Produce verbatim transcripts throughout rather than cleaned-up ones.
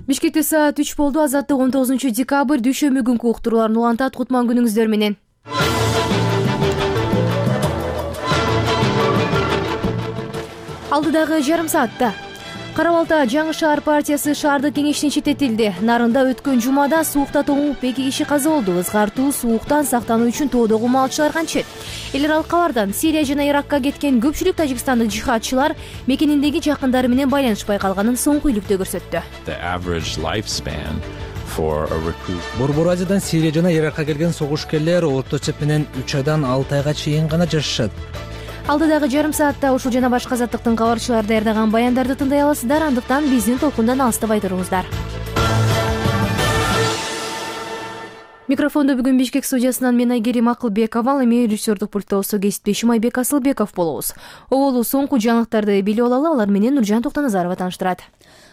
Бишкекте саат үч болду. Азаттык он тогузунчу декабрь дүйшөмбү күнкү уктурууларын улантат. Кутман күнүңүздөр менен. Алдыдагы жарым саатта Кара Балта Жаңы шаар партиясы шаардык кеңештен четтетилди. Нарында өткөн жумада суукта тоңуп эки киши каза болду. Ызгартуу сууктан сактануу үчүн тоодогу малчылар канчет. Эл аралык кабардан Сирия жана Иракка кеткен көпчүлүк тажикстандык жихадчылар мекениндеги жакындары менен байланышпай калганын соңку үйлүктө көрсөттү. Борбор Азиядан Сирия жана Иракка келген согушкерлер орто эсеп менен үч айдан алты айга чейин гана жашашат. Алдыдагы жарым саатта ушул жана башка азаттыктын кабарчылары даярдаган баяндарды тыңдай аласыздар. Андыктан биздин толкундан алыстабай туруңуздар. Микрофондо бүгүн Бишкек студиясынан мен Айгерим Акылбекова, ал эми режиссердук пультта болсо кесиптешим Айбек Асылбеков болобуз. Оболу соңку жаңылыктарды билип алалы, алар менен Нуржан Токтоназарова тааныштырат.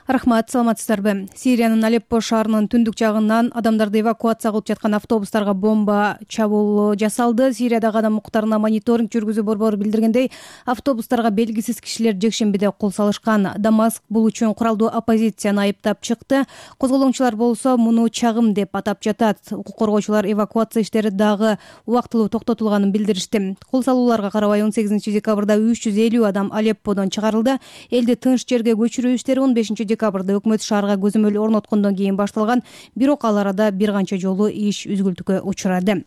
Рахмат, саламатсыздарбы? Сириянын Алеппо шаарынын түндүк жагынан адамдарды эвакуация кылып жаткан автобустарга бомба чабуул жасалды. Сириядагы адам укуктарына мониторинг жүргүзүү борбору билдиргендей, автобустарга белгисиз кишилер жекшембиде кол салышкан. Дамаск бул үчүн куралдуу оппозицияны айыптап чыкты. Козголоңчулар болсо муну чагым деп атап жатат. Укук коргоочулар эвакуация иштери дагы убактылуу токтотулганын билдиришти. Кол салууларга карабай он сегизинчи декабрда үч жүз элүү адам Алепподон чыгарылды. Элди тынч жерге көчүрүү иштери он бешинчи декабрда өкмөт шаарга көзөмөл орноткондон кийин башталган, бирок ал арада бир канча жолу иш үзгүлтүккө учурады.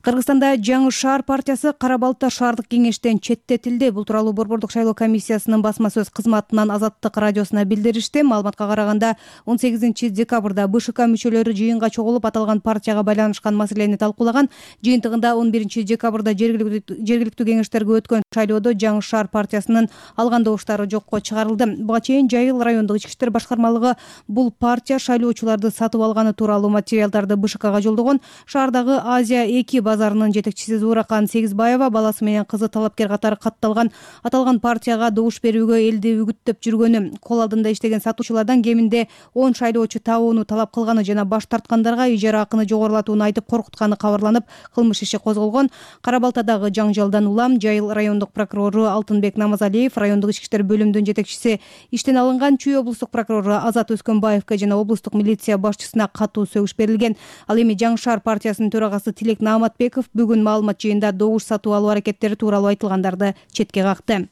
Кыргызстанда Жаңы шаар партиясы Кара Балта шаардык кеңештен четтетилди. Бул тууралуу борбордук шайлоо комиссиясынын басма сөз кызматынан Азаттык радиосуна билдиришти. Маалыматка караганда он сегизинчи декабрда БШК мүчөлөрү жыйынга чогулуп аталган партияга байланышкан маселени талкуулаган. Жыйынтыгында он биринчи декабрда жергиликтүү кеңештерге өткөн шайлоодо Жаңы шаар партиясынын алган добуштары жокко чыгарылды. Буга чейин Жайыл райондук ички иштер башкармалыгы бул партия шайлоочуларды сатып алганы тууралуу материалдарды БШКга жолдогон. Шаардагы Азия эки базарынын жетекчиси Зууракан Сегизбаева баласы менен кызы талапкер катары катталган аталган партияга добуш берүүгө элди үгүттөп жүргөнү, кол алдында иштеген сатуучулардан кеминде он шайлоочу табууну талап кылганы жана баш тарткандарга ижара акыны жогорулатууну айтып коркутканы кабарланып, кылмыш иши козголгон. Кара Балтадагы жаңжалдан улам Жайыл райондук прокурору Алтынбек Намазалиев, райондук ички иштер бөлүмүнүн жетекчиси иштен алынган. Чүй облустук прокурору Азат Өскөнбаевге жана облустук милиция башчысына катуу сөгүш берилген. Ал эми Жаңы шаар партиясынын төрагасы Тилек Нааматбеков бүгүн маалымат жыйында добуш сатып алуу аракеттери тууралуу айтылгандарды четке какты.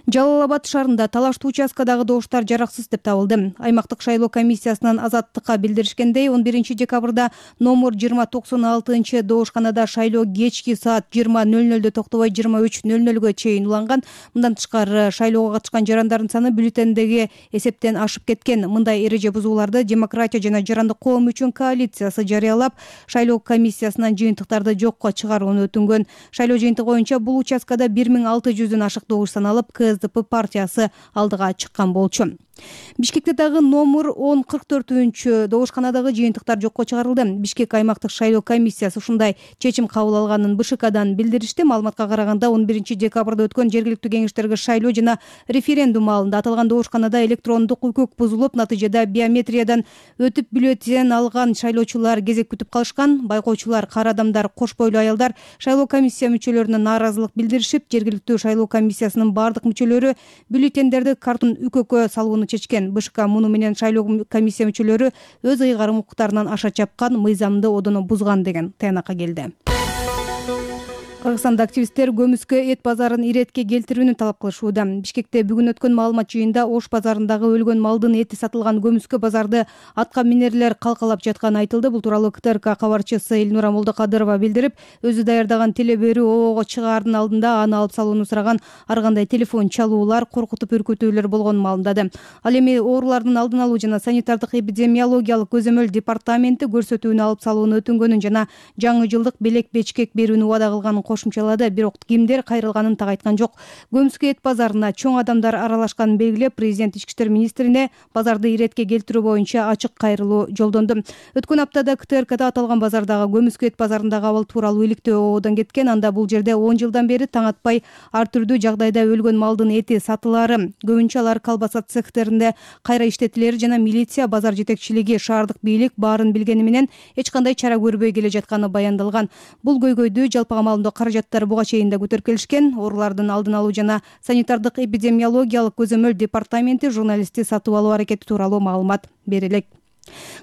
Жалал Абад шаарында талаштуу участкадагы добуштар жараксыз деп табылды. Аймактык шайлоо комиссиясынан Азаттыкка билдиришкендей, он биринчи декабрда номер жыйырма токсон алтынчы добушканада шайлоо кечки саат жыйырма нөл нөлдө токтобой жыйырма үч нөл нөлгө чейин уланган. Мындан тышкары шайлоого катышкан жарандардын саны бюллетендеги эсептен ашып кеткен. Мындай эреже бузууларды Демократия жана Жарандык коом үчүн коалициясы жарыялап, шайлоо комиссиясынан жыйынтыктарды жокко чыгарууну өтүнгөн. Шайлоо жыйынтыгы боюнча бул участкада бир миң алты жүздөн ашык добуш саналып, КСДП партиясы алдыга чыккан болчу. Бишкекте дагы номер он кырк төртүнчү добушканадагы жыйынтыктар жокко чыгарылды. Бишкек аймактык шайлоо комиссиясы ушундай чечим кабыл алганын БШКдан билдиришти. Маалыматка караганда он биринчи декабрда өткөн жергиликтүү кеңештерге шайлоо жана референдум маалында аталган добушканада электрондук укук бузулуп, натыйжада биометриядан өтүп бюллетен алган шайлоочулар кезек күтүп калышкан. Байкоочулар, кара адамдар, кош бойлуу аялдар шайлоо комиссия мүчөлөрүнө нааразылык билдиришип, жергиликтүү шайлоо комиссиясынын бардык мүчөлөрү бюллетендерди картон үкөккө салууну чечкен. БШК муну менен шайлоо комиссия мүчөлөрү өз ыйгарым укуктарынан аша чапкан, мыйзамды одоно бузган деген таянакка келди. Кыргызстанда активисттер көмүскө эт базарын иретке келтирүүнү талап кылышууда. Бишкекте бүгүн өткөн маалымат жыйында Ош базарындагы өлгөн малдын эти сатылган көмүскө базарды атка минерлер калкалап жатканы айтылды. Бул тууралуу КТРК кабарчысы Элнура Молдокадырова билдирип, өзү даярдаган теле берүү обого чыгаардын алдында аны алып салууну сураган ар кандай телефон чалуулар, коркутуп үркүтүүлөр болгонун маалымдады. Ал эми оорулардын алдын алуу жана санитардык эпидемиологиялык көзөмөл департаменти көрсөтүүнү алып салууну өтүнгөнүн жана жаңы жылдык белек бечкек берүүнү убада кылганын кошумчалады. Бирок кимдер кайрылганын так айткан жок. Көмүскө эт базарына чоң адамдар аралашканын белгилеп, президент ички иштер министрине базарды иретке келтирүү боюнча ачык кайрылуу жолдонду. Өткөн аптада КТРКда аталган базардагы көмүскө эт базарындагы абал тууралуу иликтөө ободон кеткен. Анда бул жерде он жылдан бери таң атпай ар түрдүү жагдайда өлгөн малдын эти сатылары, көбүнчө алар колбаса цехтеринде кайра иштетилери жана милиция, базар жетекчилиги, шаардык бийлик баарын билгени менен эч кандай чара көрбөй келе жатканы баяндалган. Бул көйгөйдү жалпыга маалымдоо каражаттары буга чейин да көтөрүп келишкен. Оорулардын алдын алуу жана санитардык эпидемиологиялык көзөмөл департаменти журналистти сатып алуу аракети тууралуу маалымат бере элек.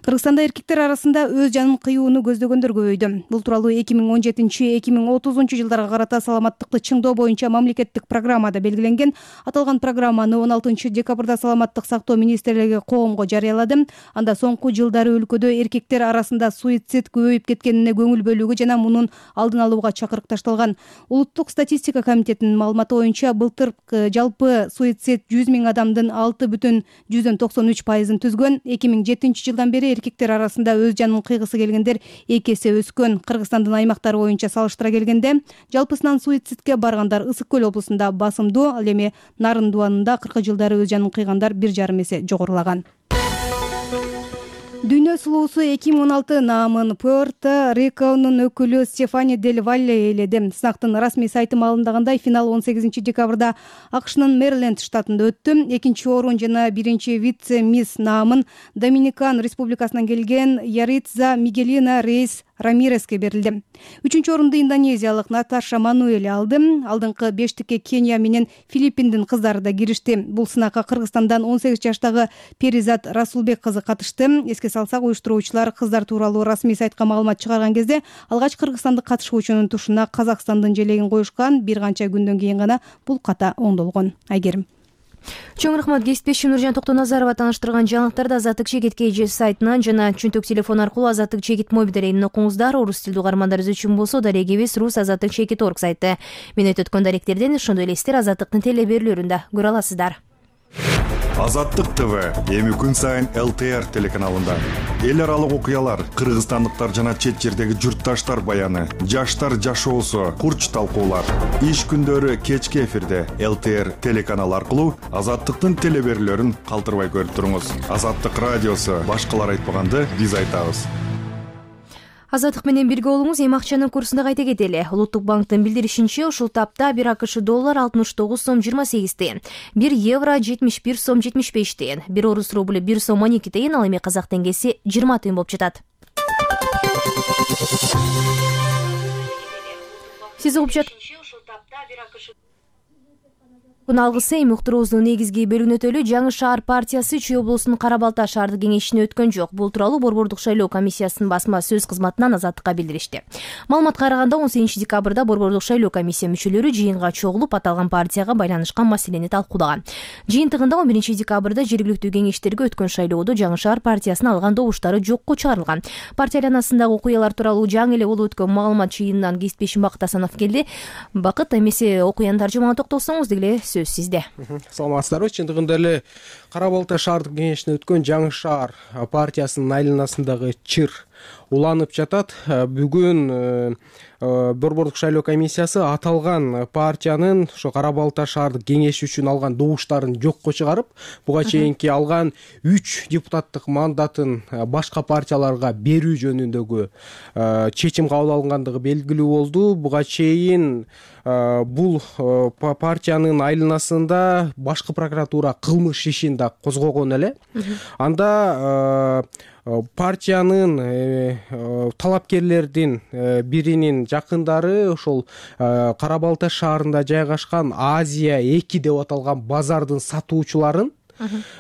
Кыргызстанда эркектер арасында өз жанын кыюуну көздөгөндөр көбөйдү. Бул тууралуу эки миң он жетинчи эки миң отузунчу жылдарга карата саламаттыкты чыңдоо боюнча мамлекеттик программада белгиленген. Аталган программаны он алтынчы декабрда Саламаттык сактоо министрлиги коомго жарыялады. Анда соңку жылдары өлкөдө эркектер арасында суицид көбөйүп кеткенине көңүл бөлүүгө жана мунун алдын алууга чакырык ташталган. Улуттук статистика комитетинин маалыматы боюнча былтыр жалпы суицид жүз миң адамдын алты бүтүн жүздөн токсон үч пайызын түзгөн. эки миң жетинчи жылдан бери эркектер арасында өз жанын кыйгысы келгендер эки эсе өскөн. Кыргызстандын аймактары боюнча салыштыра келгенде жалпысынан суицидке баргандар Ысык көл облусунда басымдуу, ал эми Нарын дубанында кыркы жылдары өз жанын кыйгандар бир жарым эсе жогорулаган. Дүйнө сулуусу эки миң он алты наамын Пуэрто-Риконун өкүлү Стефани Дель Валле ээледи. Сынактын расмий сайты маалымдагандай, финал он сегизинчи декабрда АКШнын Мэриленд штатында өттү. Экинчи орун жана биринчи вице-мисс наамын Доминикан Республикасынан келген Яритза Мигелина Рейс Рамиреске берилди. Үчүнчү орунду индонезиялык Наташа Мануэль алды. Алдыңкы бештикке Кения менен Филиппиндин кыздары да киришти. Бул сынакка Кыргызстандан он сегиз жаштагы Перизат Расулбек кызы катышты. Эске салсак, уюштуруучулар кыздар тууралуу расмий сайтка маалымат чыгарган кезде алгач кыргызстандык катышуучунун тушуна Казакстандын желегин коюшкан. Бир канча күндөн кийин гана бул ката оңдолгон. Айгерим. Чоң рахмат. Кесиптешим Нуржан Токтоназарова тааныштырган жаңылыктарды Азаттык Чегет кей сайтынан жана чөнтөк телефон аркылуу Азаттык Чегет мобил дарегинен окуңуздар. Орус тилдүү угармандарыбыз үчүн болсо дарегибиз рус азаттык чегет точка орг сайты. Мен өтөткөн даректерден ошондой эле сиздер Азаттыктын телеберүүлөрүндө көрө аласыздар. Азаттык ТВ эми күн сайын эл тэ эр телеканалында эл аралык окуялар, кыргызстандыктар жана чет жердеги журтташтар баяны, жаштар жашоосу, курч талкуулар. Иш күндөрү кечки эфирде эл тэ эр телеканалы аркылуу Азаттыктын телеберүүлөрүн калтырбай көрүп туруңуз. Азаттык радиосу башкалар айтпаганды биз айтабыз. Азаттык менен бирге болуңуз. Эми акчанын курсунда кайта кетели. Улуттук банктын билдиришинче, ушул тапта бир акш доллар алтымыш тогуз сом жыйырма сегиз тыйын, бир евро жетимиш бир сом жетимиш беш тыйын, бир орус рубль бир сом он эки тыйын, ал эми казак теңгеси жыйырма тыйын болуп жатат. Сиз угуп жаткан ушул тапта бир акш алгысы эми уктуруубуздун негизги бөлүгүнө өтөлү. Жаңы шаар партиясы Чүй облусунун Кара Балта шаардык кеңешине өткөн жок. Бул тууралуу Борбордук шайлоо комиссиясынын басма сөз кызматынан Азаттыкка билдиришти. Маалыматка караганда, он сегизинчи декабрда Борбордук шайлоо комиссия мүчөлөрү жыйынга чогулуп, аталган партияга байланышкан маселени талкуулаган. Жыйынтыгында он биринчи декабрда жергиликтүү кеңештерге өткөн шайлоодо Жаңы шаар партиясынын алган добуштары жокко чыгарылган. Партия айланасындагы окуялар тууралуу жаңы эле болуп өткөн маалымат жыйынынан кесиптешим Бакыт Асанов келди. Бакыт, эмесе окуянын тажыймана токтолсоңуз деле сизде. Саламатсыздарбы. Чындыгында эле Кара Балта шаардык кеңешине өткөн Жаңы шаар партиясынын айланасындагы чыр уланып жатат. Бүгүн Борбордук шайлоо комиссиясы аталган партиянын ошо Кара Балта шаардык кеңеши үчүн алган добуштарын жокко чыгарып, буга чейинки алган үч депутаттык мандатын башка партияларга берүү жөнүндөгү чечим кабыл алынгандыгы белгилүү болду. Буга чейин бул партиянын айланасында башкы прокуратура кылмыш ишин да козгогон эле. Анда партиянын талапкерлердин биринин жакындары ошол Кара Балта шаарында жайгашкан Азия эки деп аталган базардын сатуучуларын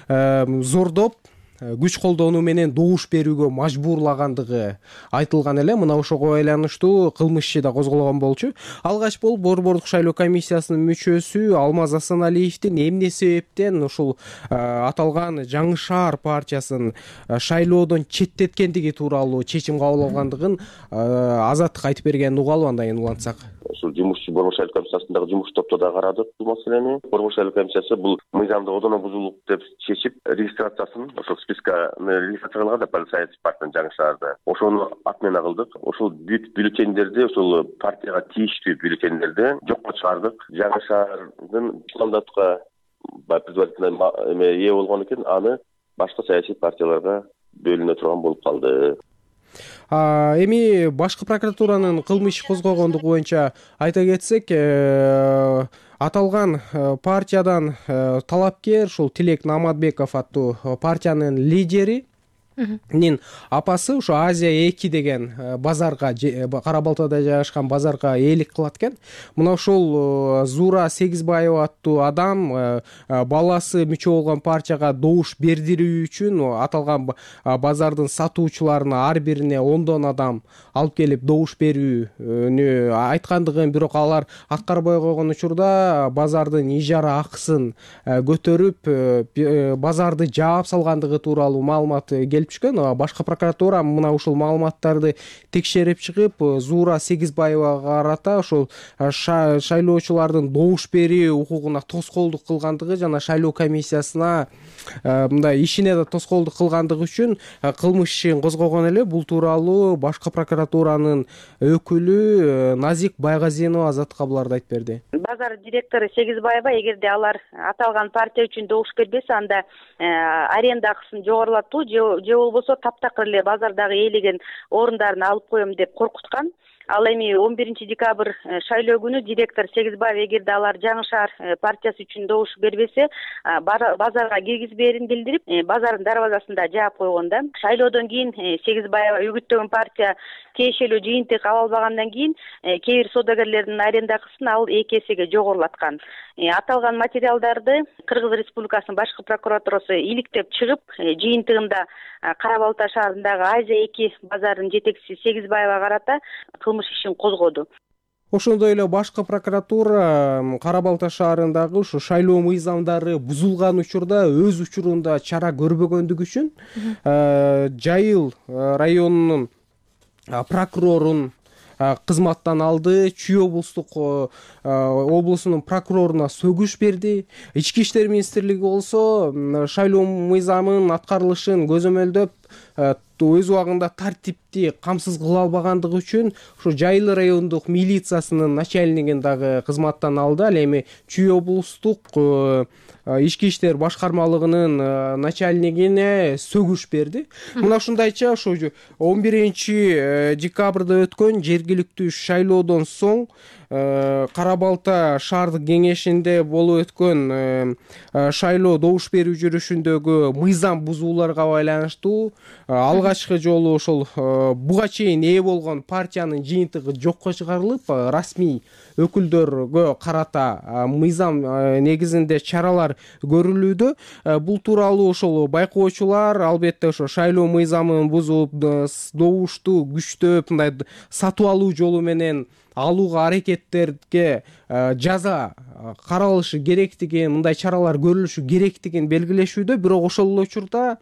зордоп, күч колдонуу менен добуш берүүгө мажбурлагандыгы айтылган эле. Мына ошого байланыштуу кылмыш иши да козголгон болчу. Алгач болуп Борбордук шайлоо комиссиясынын мүчөсү Алмаз Асаналиевдин эмне себептен ушул аталган Жаңы шаар партиясын шайлоодон четтеткендиги тууралуу чечим кабыл алгандыгын Азаттык айтып бергенин угалы, андан улантсак. Ушул жумушчу Борбор шайлоо комиссиясындагы жумуш топто да карадык бул маселени. Борбор шайлоо комиссиясы бул мыйзамды одоно бузуулук деп чечип, регистрациясын ошол списканы регистрация кылган да полицейский партиянын Жаңы шаарда. Ошону отмена кылдык. Ошол бүт бюллетендерди, ошол партияга тийиштүү бюллетендерди жокко чыгардык. Жаңы шаардын мандатка предварительно эме ээ болгон экен, аны башка саясий партияларга бөлүнө турган болуп калды. Эми башкы прокуратуранын кылмыш козгогондугу боюнча айта кетсек, аталган партиядан талапкер ушул Тилек Наматбеков аттуу партиянын лидери апасы ошо Азия эки деген базарга, Кара Балтада жайгашкан базарга ээлик кылат экен. Мына ошол Зуура Сегизбаева аттуу адам баласы мүчө болгон партияга добуш бердирүү үчүн аталган базардын сатуучуларына ар бирине ондон адам алып келип добуш берүүнү айткандыгын, бирок алар аткарбай койгон учурда базардын ижара акысын көтөрүп базарды жаап салгандыгы тууралуу маалымат келип түшкөн. Башкы прокуратура мына ушул маалыматтарды текшерип чыгып, Зуура Сегизбаевага карата ошол шайлоочулардын добуш берүү укугуна тоскоолдук кылгандыгы жана шайлоо комиссиясына мындай ишине да тоскоолдук кылгандыгы үчүн кылмыш ишин козгогон эле. Бул тууралуу башкы прокуратуранын өкүлү Назик Байгазинова Азат Кабыларда айтып берди. Базар директору Сегизбаева эгерде алар аталган партия үчүн добуш бербесе, анда аренда акысын жогорулатуу же болбосо таптакыр эле базардагы ээлеген орундарын алып коем деп коркуткан. Ал эми он биринчи декабрь шайлоо күнү директор Сегизбаев эгерде алар Жаңы Шаар партиясы үчүн добуш бербесе, базарга киргизбээрин билдирип, базардын дарбазасында жаап койгон да. Шайлоодон кийин Сегизбаева үгүттөгөн партия тиешелүү жыйынтык ала албагандан кийин кээ бир соодагерлердин аренда акысын ал эки эсеге жогорулаткан. Аталган материалдарды Кыргыз Республикасынын башкы прокуратурасы иликтеп чыгып, жыйынтыгында Кара Балта шаарындагы Азия эки базарынын жетекчиси Сегизбаева карата кылмыш ишин козгоду. Ошондой эле башкы прокуратура Кара Балта шаарындагы ушу шайлоо мыйзамдары бузулган учурда өз учурунда чара көрбөгөндүгү үчүн Жайыл районунун прокурорун кызматтан алды, Чүй облустук облусунун прокуроруна сөгүш берди. Ички иштер министрлиги болсо шайлоо мыйзамынын аткарылышын көзөмөлдөп өз убагында тартипти камсыз кыла албагандыгы үчүн ушу Жайыл райондук милициясынын начальнигин дагы кызматтан алды. Ал эми Чүй облустук ички иштер башкармалыгынын начальнигине сөгүш берди. Мына ушундайча ошо он биринчи декабрда өткөн жергиликтүү шайлоодон соң Кара Балта шаардык кеңешинде болуп өткөн шайлоо добуш берүү жүрүшүндөгү мыйзам бузууларга байланыштуу алгачкы жолу ошол буга чейин ээ болгон партиянын жыйынтыгы жокко чыгарылып, расмий өкүлдөргө карата мыйзам негизинде чаралар көрүлүүдө. Бул тууралуу ошол байкоочулар албетте ошо шайлоо мыйзамын бузуп, добушту күчтөп, мындай сатып алуу жолу менен алууга аракеттерге жаза каралышы керектигин, мындай чаралар көрүлүшү керектигин белгилешүүдө. Бирок ошол эле учурда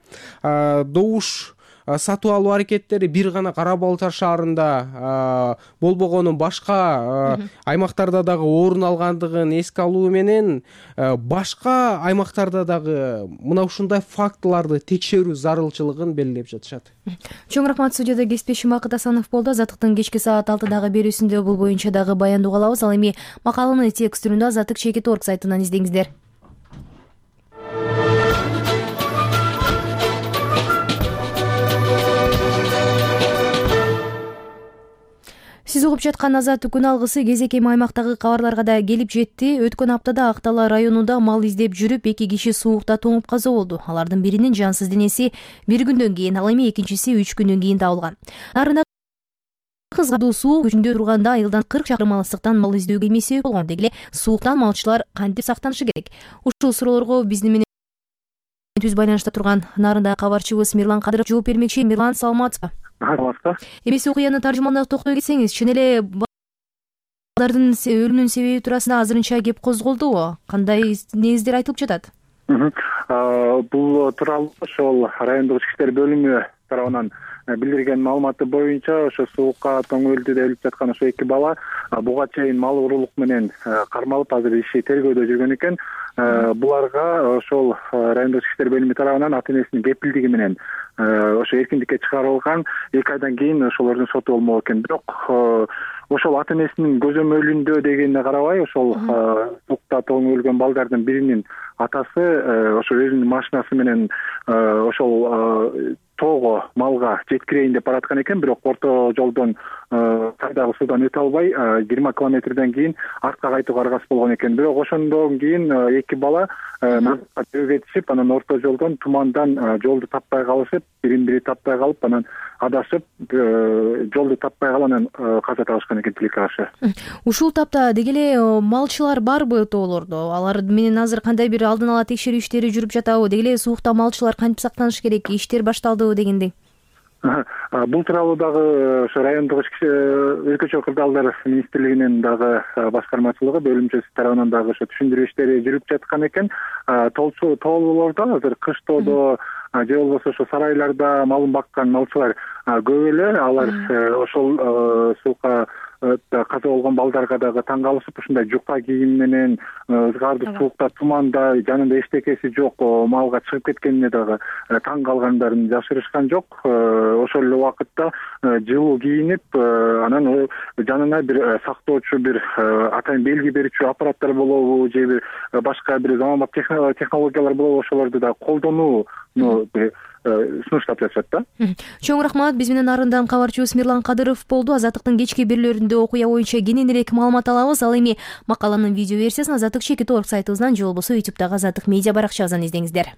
добуш сатып алуу аракеттери бир гана Кара Балта шаарында болбогонун башка аймактарда дагы орун алгандыгын эске алуу менен башка аймактарда дагы мына ушундай фактыларды текшерүү зарылчылыгын белгилеп жатышат. Чоң рахмат. Студияда кесиптешим Акыт Асанов болду. Азаттыктын кечки саат алтыдагы берүүсүндө бул боюнча дагы баяндоо алабыз. Ал эми макаланы текст түрүндө Азаттык чекит точка орг сайтынан издеңиздер. Сиз угуп жаткан Азаттык күн алгысы кезек эми аймактагы кабарларга да келип жетти. Өткөн аптада Актала районунда мал издеп жүрүп эки киши суукта тоңуп каза болду. Алардын биринин жансыз денеси бир күндөн кийин, ал эми экинчиси үч күндөн кийин табылган. Нарында кызгадуу суук күчүндө турганда айылдан кырк чакырым алыстыктан мал издөө кемеси болгон. Деги эле сууктан малчылар кантип сактанышы керек? Ушул суроолорго биздин менен түз байланышта турган Нарында кабарчыбыз Мирлан Кадыров жооп бермекчи. Мирлан, саламатсызбы? Саламатсызбы. Эмес окуяны таржымалап токтой кетсеңиз, чын эле балдардын өлүмүнүн себеби туурасында азырынча кеп козголдубу? Кандай негиздер айтылып жатат? Бул тууралуу ошол райондук ички иштер бөлүмү тарабынан билдирген маалыматы боюнча ошо суукка тоңөлдү деп өлүп жаткан ошо эки бала буга чейин мал уруулук менен кармалып азыр иши тергөөдө жүргөн экен. Буларга ошол райондук ички иштер бөлүмү тарабынан ата энесинин кепилдиги менен ошо эркиндикке чыгарылган. эки айдан кийин ошолордун соту болмок экен. Бирок ошол ата энесинин көзөмөлүндө дегенине карабай, ошол суукта тоңөлгөн балдардын биринин атасы ошо өзүнүн машинасы менен ошол тоого малга жеткирейин деп бараткан экен, бирок орто жолдон кайдагы суудан өтө албай жыйырма километрден кийин артка кайтууга аргасыз болгон экен. Бирок ошондон кийин эки бала назарга жөө анан орто жолдон тумандан жолду таппай калышып, бирин бири таппай калып, анан адашып, жолду таппай калып, анан каза табышкан экен тилекке каршы. Ушул тапта деги эле малчылар барбы тоолордо? Алар менен азыр кандай бир алдын ала текшерүү иштери жүрүп жатабы? Деги эле суукта малчылар кантип сактаныш керек? Иштер башталдыбы дегендей? Бул тууралуу дагы ошо райондук өлкөчө кырдаалдар министрлигинин дагы башкармачылыгы бөлүмчөсү тарабынан дагы ошо түшүндүрүү иштери жүрүп жаткан экен. Тоолуулордо азыр кыштоодо же болбосо ошо сарайларда малын баккан малчылар көп эле. Алар ошол суукка каза болгон балдарга дагы таң калышып, ушундай жука кийим менен ызгарды суукта, туманда, жанында эчтекеси жок малга чыгып кеткенине дагы таң калгандарын жашырышкан жок. Ошол эле убакытта жылуу кийинип, анан жанына бир сактоочу, бир атайын белги берүүчү аппараттар болобу же бир башка бир заманбап технологиялар болобу, ошолорду да колдонууну сунуштап жатышат да. Чоң рахмат. Биз менен нарындан кабарчыбыз Мирлан Кадыров болду. Азаттыктын кечки бирлөрүндө окуя боюнча кененирээк маалымат алабыз. Ал эми макаланын видео версиясын азаттык чекит орг сайтыбыздан же болбосо ютубтагы азаттык медиа баракчабыздан издеңиздер.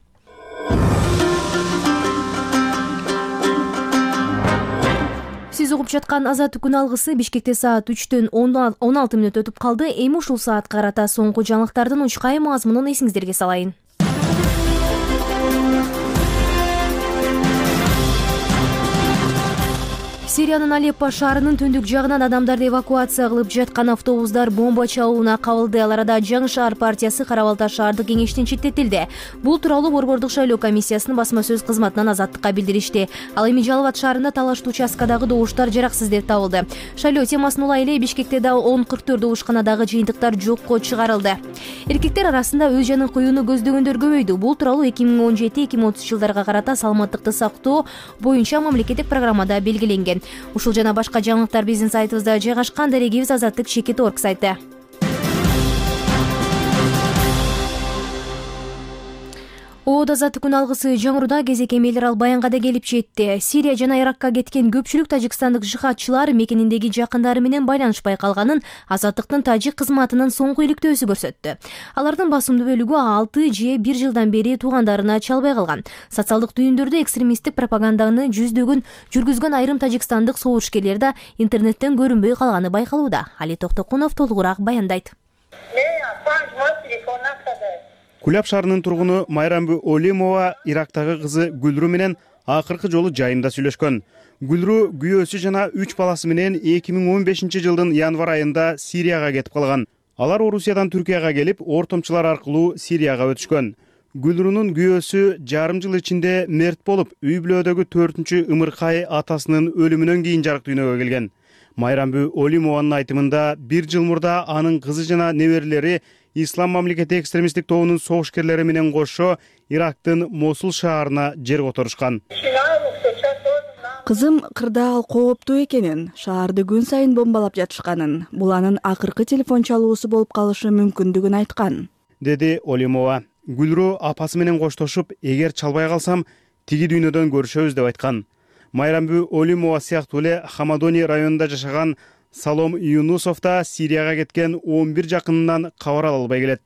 Сиз угуп жаткан Азаттык күн алгысы Бишкекте саат үчтөн он алты мүнөт өтүп калды. Эми ушул саатка карата соңку жаңылыктардын учкай мазмунун эсиңиздерге салайын. Сириянын Алеппо шаарынын түндүк жагынан адамдарды эвакуация кылып жаткан автобустар бомба чабууна кабылды. Ал арада Жаңы шаар партиясы Кара Балта шаардык кеңештин четтетилди. Бул тууралуу Борбордук шайлоо комиссиясынын басма сөз кызматынан Азаттыкка билдиришти. Ал эми Жалал Абад шаарында талаштуу участкадагы добуштар жараксыз деп табылды. Шайлоо темасына улай эле Бишкекте да он кырк төрт добушканадагы жыйынтыктар жокко чыгарылды. Эркектер арасында өз жанын коюуну көздөгөндөр көбөйдү. Бул тууралуу эки миң он жети эки миң отуз жылдарга карата саламаттыкты сактоо боюнча мамлекеттик программада белгиленген. Ушул жана башка жаңылыктар биздин сайтыбызда жайгашкан. Дарегибиз азаттык чекит орг сайты. Оода Азаттык күн алгысы жаңыруда кезек эмелер ал баянга да келип жетти. Сирия жана Иракка кеткен көпчүлүк тажикстандык жихадчылар мекениндеги жакындары менен байланышпай калганын Азаттыктын тажик кызматынын соңку иликтөөсү көрсөттү. Алардын басымдуу бөлүгү алты же бир жылдан бери туугандарына чалбай калган. Социалдык түйүндөрдө экстремисттик пропаганданы жүздөгөн жүргүзгөн айрым тажикстандык согушкерлер да интернеттен көрүнбөй калганы байкалууда. Али Токтокунов толугураак баяндайт. Куляб шаарынын тургуну Майрамбү Олимова Ирактагы кызы Гүлрү менен акыркы жолу жайында сүйлөшкөн. Гүлрү күйөөсү жана үч баласы менен эки миң он бешинчи жылдын январ айында Сирияга кетип калган. Алар Орусиядан Түркияга келип, ортомчулар аркылуу Сирияга өтүшкөн. Гүлрүнүн күйөөсү жарым жыл ичинде мерт болуп, үй бүлөдөгү төртүнчү ымыркай атасынын өлүмүнөн кийин жарык дүйнөгө келген. Майрамбү Олимованын айтымында бир жыл мурда анын кызы жана неберелери Ислам мамлекети экстремисттик тобунун согушкерлери менен кошо Ирактын Мосул шаарына жер которушкан. Кызым кырдаал кооптуу экенин, шаарды күн сайын бомбалап жатышканын, бул анын акыркы телефон чалуусу болуп калышы мүмкүндүгүн айткан, деди Олимова. Гүлрү апасы менен коштошуп, эгер чалбай калсам, тиги дүйнөдөн көрүшөбүз деп айткан. Майрамбү Олимова сыяктуу эле Хамадони районунда жашаган Салом Юнусов да Сирияга кеткен он бир жакынынан кабар ала албай келет.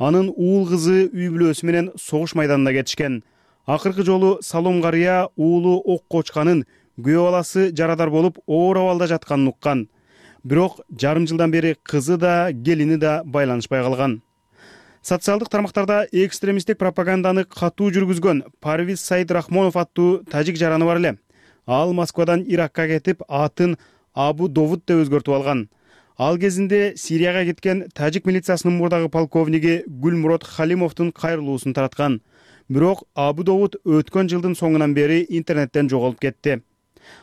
Анын уул кызы үй бүлөсү менен согуш майданына кетишкен. Акыркы жолу Салом карыя уулу окко учканын, күйөө баласы жарадар болуп оор абалда жатканын уккан. Бирок жарым жылдан бери кызы да, келини да байланышпай калган. Социалдык тармактарда экстремисттик пропаганданы катуу жүргүзгөн Парвиз Саид Рахмонов аттуу тажик жараны бар эле. Ал Москвадан Иракка кетип, атын Абу Довуд деп өзгөртүп алган. Ал кезинде Сирияга кеткен тажик милициясынын мурдагы полковниги Гүлмурод Халимовдун кайрылуусун тараткан. Бирок Абу Довуд өткөн жылдын соңунан бери интернеттен жоголуп кетти.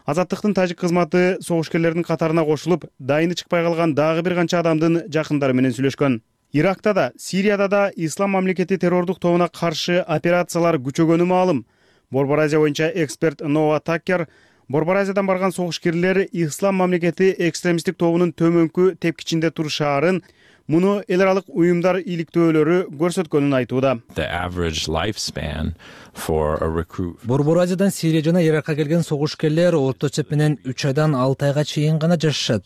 Азаттыктын тажик кызматы согушкерлердин катарына кошулуп, дайыны чыкпай калган дагы бир канча адамдын жакындары менен сүйлөшкөн. Иракта да, Сирияда да Ислам мамлекети террордук тобуна каршы операциялар күчөгөнү маалым. Борбор Азия боюнча эксперт Нова Такер Борбор Азиядан барган согушкерлер Ислам мамлекети экстремисттик тобунун төмөнкү тепкичинде турушаарын, муну эл аралык уюмдар иликтөөлөрү көрсөткөнүн айтууда. Борбор Азиядан Сирия жана Иракка келген согушкерлер орто эсеп менен үч айдан алты айга чейин гана жашашат.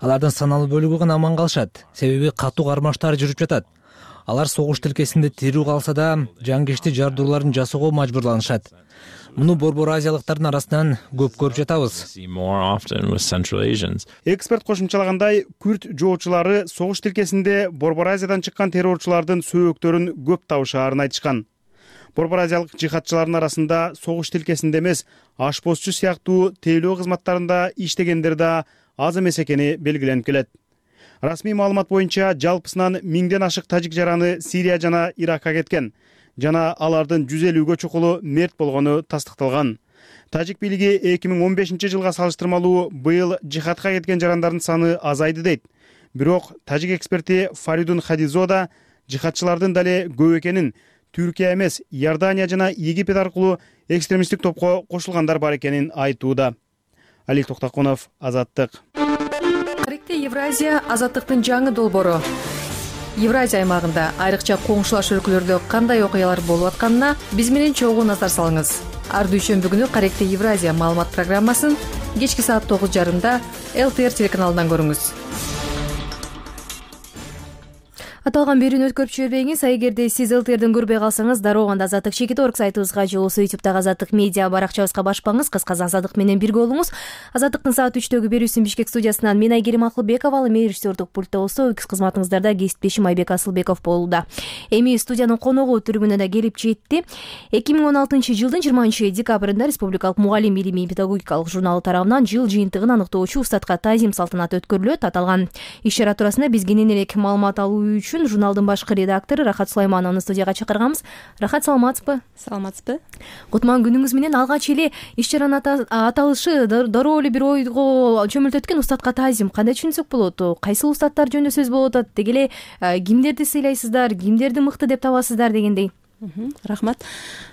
Алардын саналуу бөлүгү гана аман калышат, себеби катуу кармаштар жүрүп жатат. Алар согуш тилкесинде тирүү калса да жангечти жардууларын жасоого мажбурланышат. Муну борбор азиялыктардын арасынан көп көрүп жатабыз. Эксперт кошумчалагандай, күрд жоочулары согуш тилкесинде Борбор Азиядан чыккан террорчулардын сөөктөрүн көп табышаарын айтышкан. Борбор азиялык жихадчылардын арасында согуш тилкесинде эмес, ашпозчу сыяктуу тейлөө кызматтарында иштегендер да аз эмес экени белгиленип келет. Расмий маалымат боюнча жалпысынан миңден ашык тажик жараны Сирия жана Иракка кеткен жана алардын жүз элүүгө чукулу мерт болгону тастыкталган. Тажик бийлиги эки миң он бешинчи жылга салыштырмалуу быйыл жихадка кеткен жарандардын саны азайды дейт. Бирок тажик эксперти Фаридун Хадизода жихадчылардын дале көп экенин, Түркия эмес, Иордания жана Египет аркылуу экстремисттик топко кошулгандар бар экенин айтууда. Алик Токтокунов, Азаттык. Каректе Евразия азаттыктын жаңы долбоору. Евразия аймагында айрыкча коңшулаш өлкөлөрдө кандай окуялар болуп атканына биз менен чогуу назар салыңыз. Ар дүйшөмбү күнү Каректе Евразия маалымат программасын кечки саат тогуз жарымда эл тэ эр телеканалынан көрүңүз. Аталган берүүнү өткөрүп жибербеңиз. Эгерде сиз эл тэ эрден көрбөй калсаңыз, дароо гана Азаттык чекит орг сайтыбызга же болбосо ютубтагы Азаттык медиа баракчабызга башпаңыз. Кыскасы Азаттык менен бирге болуңуз. Азаттыктын саат үчтөгү берүүсүн Бишкек студиясынан мен Айгерим Акылбекова, ал эми режиссердук пультта болсо үкүз кызматыңыздарда кесиптешим Айбек Асылбеков болууда. Эми студиянын коногу түрүмүнө да келип жетти. эки миң он алтынчы жылдын жыйырманчы декабрында Республикалык мугалим илимий педагогикалык журналы тарабынан жыл жыйынтыгын аныктоочу устатка таазим салтанаты өткөрүлөт. Аталган иш-чара туурасында биз кенен элек маалымат алуу үчүн журналдын башкы редактору Рахат Сулаймановну студияга чакырганбыз. Рахат, саламатсызбы? Саламатсызбы. Кутман күнүңүз менен. Алгач эле иш-чаранын аталышы дароо эле бир ойго чөмүлтөткөн устатка таазим. Кандай түшүнсөк болот? Кайсыл устаттар жөнүндө сөз болуп атат? Деги эле кимдерди сыйлайсыздар, кимдерди мыкты деп табасыздар дегендей. Рахмат.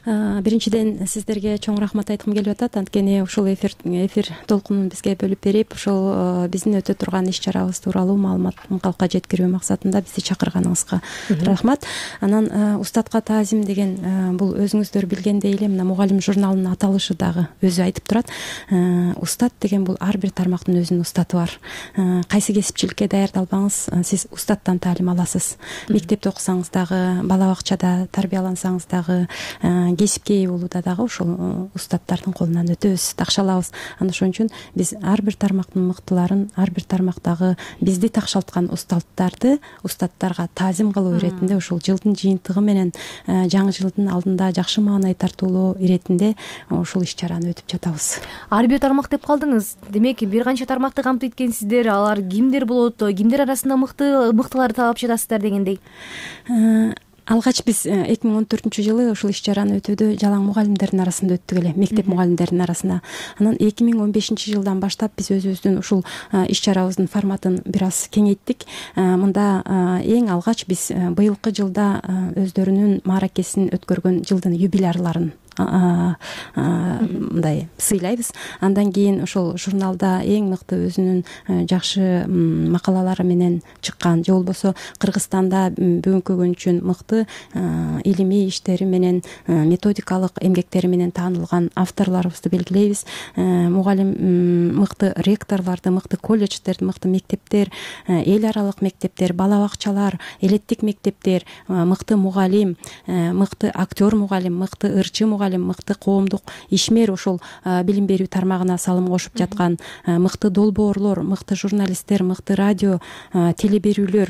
Биринчиден сиздерге чоң рахмат айткым келип атат. Анткени ушул эфир эфир толкунун бизге бөлүп берип, ушул биздин өтө турган иш-чарабыз тууралуу маалыматын калкка жеткирүү максатында бизди чакырганыңызга рахмат. Анан устатка таазим деген бул өзүңүздөр билгендей эле мына мугалим журналынын аталышы дагы өзү айтып турат. Устат деген бул ар бир тармактын өзүнүн устаты бар. Кайсы кесипчиликке даярдалбаңыз, сиз устаттан таалим аласыз. Мектепте окусаңыз дагы, бала бакчада тарбиялансаңыз дагы, кесипке ээ болууда дагы ушул устаттардын колунан өтөбүз, такшалабыз. Ана ошон үчүн биз ар бир тармактын мыктыларын, ар бир тармактагы бизди такшалткан устаттарды устаттарга таазим кылуу иретинде ушул жылдын жыйынтыгы менен жаңы жылдын алдында жакшы маанай тартуулоо иретинде ушул иш-чараны өтүп жатабыз. Ар бир тармак деп калдыңыз. Демек, бир канча тармакты камтыйт экенсиздер. Алар кимдер болот? Кимдер арасында мыкты мыктыларды таап жатасыздар дегендей? Алгач биз эки миң он төртүнчү жылы ушул иш-чараны өтүүдө жалаң мугалимдердин арасында өттүк эле, мектеп мугалимдеринин арасында. Анан эки миң он бешинчи жылдан баштап биз өзүбүздүн ушул иш-чарабыздын форматын бир аз кеңейттик. Мында эң алгач биз быйылкы жылда өздөрүнүн мааракесин өткөргөн жылдын юбилярларын мындай сыйлайбыз. Андан кийин ошол журналда эң мыкты өзүнүн жакшы макалалары менен чыккан же болбосо Кыргызстанда бүгүнкү күн үчүн мыкты илимий иштери менен, методикалык эмгектери менен таанылган авторлорубузду белгилейбиз. Мугалим мыкты ректорлорду, мыкты колледждерди, мыкты мектептер, эл аралык мектептер, бала бакчалар, элеттик мектептер, мыкты мугалим, мыкты актер мугалим, мыкты ырчы мугалим, мыкты коомдук ишмер ошол билим берүү тармагына салым кошуп жаткан мыкты долбоорлор, мыкты журналисттер, мыкты радио, теле берүүлөр,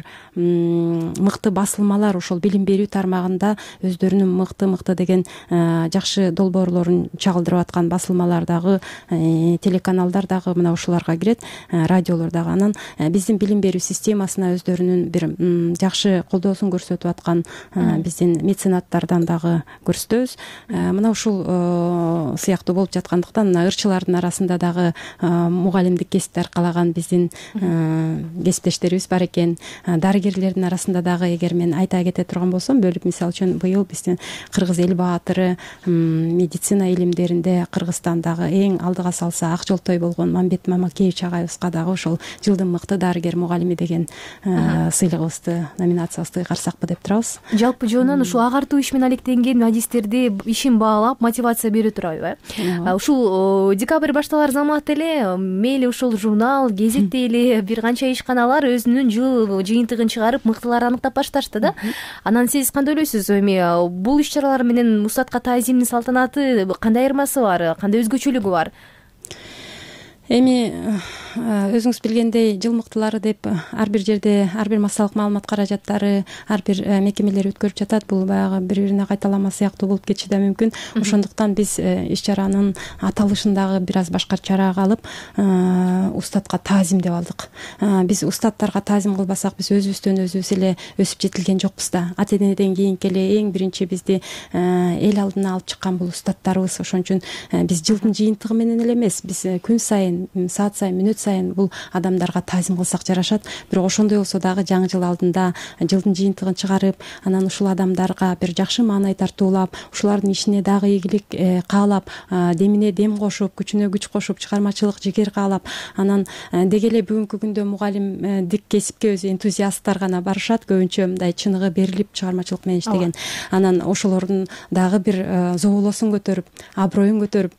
мыкты басылмалар ошол билим берүү тармагында өздөрүнүн мыкты-мыкты деген жакшы долбоорлорун чагылдырып аткан басылмалар дагы, телеканалдар дагы мына ушуларга кирет, радиолор дагы. Анан биздин билим берүү системасына өздөрүнүн бир жакшы колдоосун көрсөтүп аткан биздин меценаттардан дагы көрсөтөбүз. Мына мына ушул сыяктуу болуп жаткандыктан мына ырчылардын арасында дагы мугалимдик кесипти аркалаган биздин кесиптештерибиз бар экен. Дарыгерлердин арасында дагы эгер мен айта кете турган болсом, бөлүп мисалы үчүн быйыл биздин кыргыз эл баатыры, медицина илимдеринде Кыргызстандагы эң алдыга салса ак жолтой болгон Мамбет Мамакеевич агайыбызга дагы ошол жылдын мыкты дарыгер мугалими деген сыйлыгыбызды, номинациябызды кайгарсакпы деп турабыз. Жалпы жонунан ушул агартуу иш менен алектенген адистерди ишин баалап мотивация бере турабы э? Ушул декабрь башталар замат эле мейли ушул журнал, гезет дейли бир канча ишканалар өзүнүн жыл жыйынтыгын чыгарып мыктыларды аныктап башташты да. Анан сиз кандай ойлойсуз? Эми бул иш чаралар менен устатка таазимдин салтанаты кандай айырмасы бар, кандай өзгөчөлүгү бар? Эми өзүңүз билгендей жыл мыктылары деп ар бир жерде ар бир массалык маалымат каражаттары, ар бир мекемелер өткөрүп жатат. Бул баягы бири-бирине кайталама сыяктуу болуп кетиши да мүмкүн. Ошондуктан биз иш чаранын аталышын дагы бир аз башкачараак алып, устатка таазим деп алдык. Биз устаттарга таазим кылбасак, биз өзүбүздөн өзүбүз эле өсүп жетилген жокпуз да. Ата энеден кийинки эле эң биринчи бизди эл алдына алып чыккан бул устаттарыбыз. Ошон үчүн биз жылдын жыйынтыгы менен эле эмес, биз күн сайын, саат сайын, мүнөт сайын бул адамдарга таазим кылсак жарашат. Бирок ошондой болсо дагы жаңы жыл алдында жылдын жыйынтыгын чыгарып, анан ушул адамдарга бир жакшы маанай тартуулап, ушулардын ишине дагы ийгилик каалап, демине дем кошуп, күчүнө күч кошуп, чыгармачылык жигер каалап, анан деги эле бүгүнкү күндө мугалимдик кесипке өзү энтузиасттар гана барышат, көбүнчө мындай чыныгы берилип чыгармачылык менен иштеген. Анан ошолордун дагы бир зоболосун көтөрүп, аброюн көтөрүп,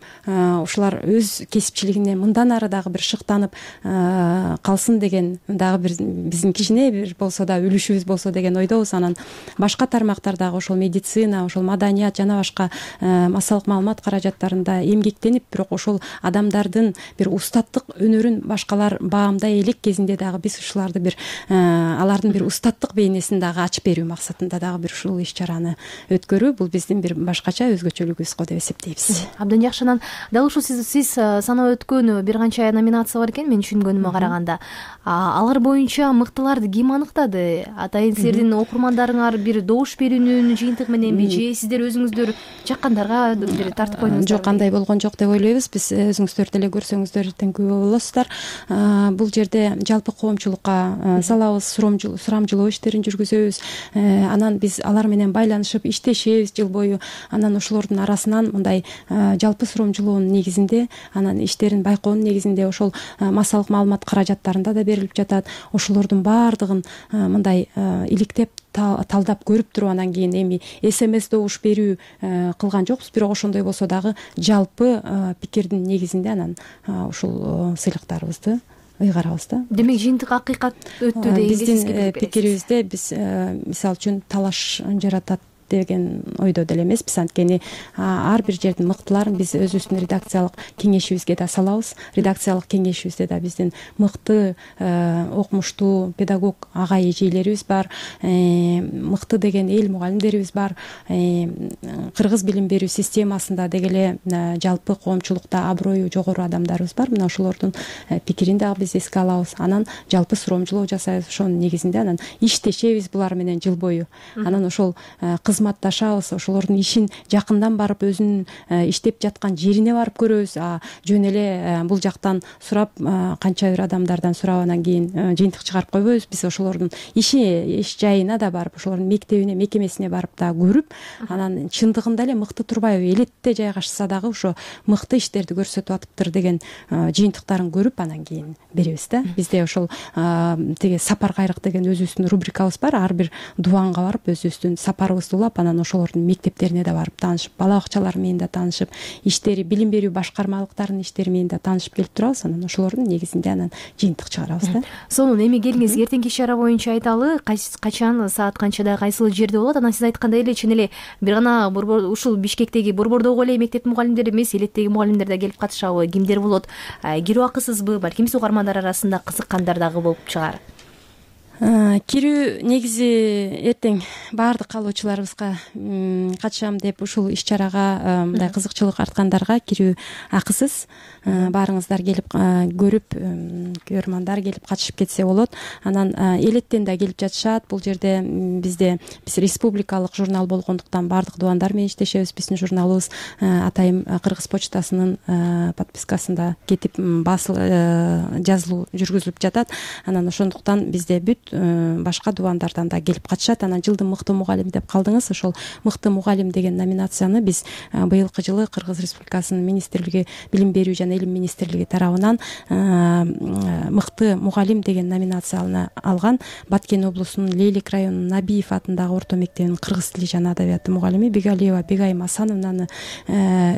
ушулар өз кесипчилигине мындан ары дагы бир шыктанып калсын деген дагы бир биздин кичине бир болсо да үлүшүбүз болсо деген ойдобуз. Анан башка тармактардагы ошол медицина, ошол маданият жана башка массалык маалымат каражаттарында эмгектенип, бирок ошол адамдардын бир устаттык өнөрүн башкалар баамдай элек кезинде дагы биз ушуларды бир алардын бир устаттык бейнесин дагы ачып берүү максатында дагы бир ушул иш чараны өткөрүү бул биздин бир башкача өзгөчөлүгүбүз го деп эсептейбиз. Абдан жакшы. Анан дал ушул сиз сиз санап өткөн бир канча номинация бар экен, мен түшүнгөнүмө караганда. Алар боюнча мыктыларды ким аныктады? Атайын сиздердин окурмандарыңар бир добуш берүүнүн жыйынтыгы мененби, же сиздер өзүңүздөр жаккандарга бир тартып койдуңуздар? Жок, андай болгон жок деп ойлойбуз. Биз өзүңүздөр деле көрсөңүздөр күбө болосуздар. Бул жерде жалпы коомчулукка салабыз, сурамжылоо иштерин жүргүзөбүз. Анан биз алар менен байланышып иштешебиз жыл бою. Анан ошолордун арасынан мындай жалпы сурамжылоонун негизинде, анан иштерин байкоонун негизинде ошол массалык маалымат каражаттарында да берилип жатат. Ошолордун баардыгын мындай иликтеп талдап көрүп туруп, анан кийин эми смс добуш берүү кылган жокпуз, бирок ошондой болсо дагы жалпы пикирдин негизинде анан ушул сыйлыктарыбызды ыйгарабыз да. Демек жыйынтык акыйкат өттү деген биздин пикирибизде биз мисалы үчүн талаш жаратат деген ойдо деле эмеспиз. Анткени ар бир жердин мыктыларын биз өзүбүздүн редакциялык кеңешибизге да салабыз. Редакциялык кеңешибизде да биздин мыкты окумуштуу педагог агай эжелерибиз бар, мыкты деген эл мугалимдерибиз бар. Кыргыз билим берүү системасында деги эле жалпы коомчулукта аброю жогору адамдарыбыз бар. Мына ошолордун пикирин дагы биз эске алабыз. Анан жалпы сурамжылоо жасайбыз. Ошонун негизинде анан иштешебиз булар менен жыл бою. Анан ошол кызматташабыз, ошолордун ишин жакындан барып өзүнүн иштеп жаткан жерине барып көрөбүз. Жөн эле бул жактан сурап, канча бир адамдардан сурап анан кийин жыйынтык чыгарып койбойбуз. Биз ошолордун иши иш жайына да барып, ошолордун мектебине, мекемесине барып да көрүп, анан чындыгында эле мыкты турбайбы, элетте жайгашса дагы ошо мыкты иштерди көрсөтүп атыптыр деген жыйынтыктарын көрүп анан кийин беребиз да. Бизде ошол тиги сапар кайрык деген өзүбүздүн рубрикабыз бар. Ар бир дубанга барып өзүбүздүн сапарыбызды улап, анан ошолордун мектептерине да барып таанышып, бала бакчалары менен да таанышып, иштери, билим берүү башкармалыктарынын иштери менен да таанышып келип турабыз. Анан ошолордун негизинде анан жыйынтык чыгарабыз да. Сонун, эми келиңиз эртеңки иш чара боюнча айталы, качан, саат канчада, кайсыл жерде болот? Анан сиз айткандай эле чын эле бир гана ушул Бишкектеги, Борбордогу эле мектептин мугалимдери эмес, элеттеги мугалимдер да келип катышабы? Кимдер болот? Кирүү акысызбы? Балким угармандар арасында кызыккандар дагы болуп чыгар. кирүү негизи эртең баардык каалоочуларыбызга катышам деп ушул иш чарага мындай кызыкчылык арткандарга кирүү акысыз. Баарыңыздар келип көрүп, көрөрмандар келип катышып кетсе болот. Анан элеттен да келип жатышат. Бул жерде бизде биз республикалык журнал болгондуктан баардык дубандар менен иштешебиз. Биздин журналыбыз Атайым Кыргыз почтасынын подпискасында кетип басыл жазылуу жүргүзүлүп жатат. Анан ошондуктан бизде бүт башка дубандардан да келип катышат. Анан жылдын мыкты мугалим деп калдыңыз. Ошол мыкты мугалим деген номинацияны биз быйылкы жылы Кыргыз Республикасынын министрлиги, билим берүү жана илим министрлиги тарабынан мыкты мугалим деген номинацияны алган. Баткен облусунун Лейлик районунун Набиев атындагы орто мектебинин кыргыз тили жана адабияты мугалими Бегалиева Бегайым Асановнаны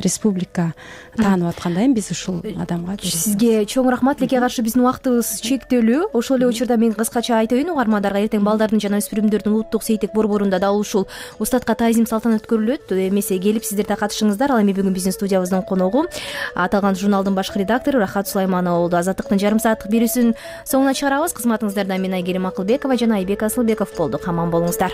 республика таанып аткандай биз ушул адамга. Сизге чоң рахмат. Тилекке каршы биздин убактыбыз чектелүү. Ошол эле учурда мен кыскача айтайын угармандарга, эртең балдардын жана өспүрүмдөрдүн улуттук сейттик борборунда дал ушул устатка таазим салтанат өткөрүлөт. Эмесе келип сиздер да катышыңыздар. Ал эми бүгүн биздин студиябыздын коногу аталган журналдын башкы редактору Рахат Сулайманова болду. Азаттыктын жарым сааттык берүүсүн соңуна чыгарабыз. Кызматыңыздарда мен Айгерим Акылбекова жана Айбек Асылбеков болдук. Аман болуңуздар.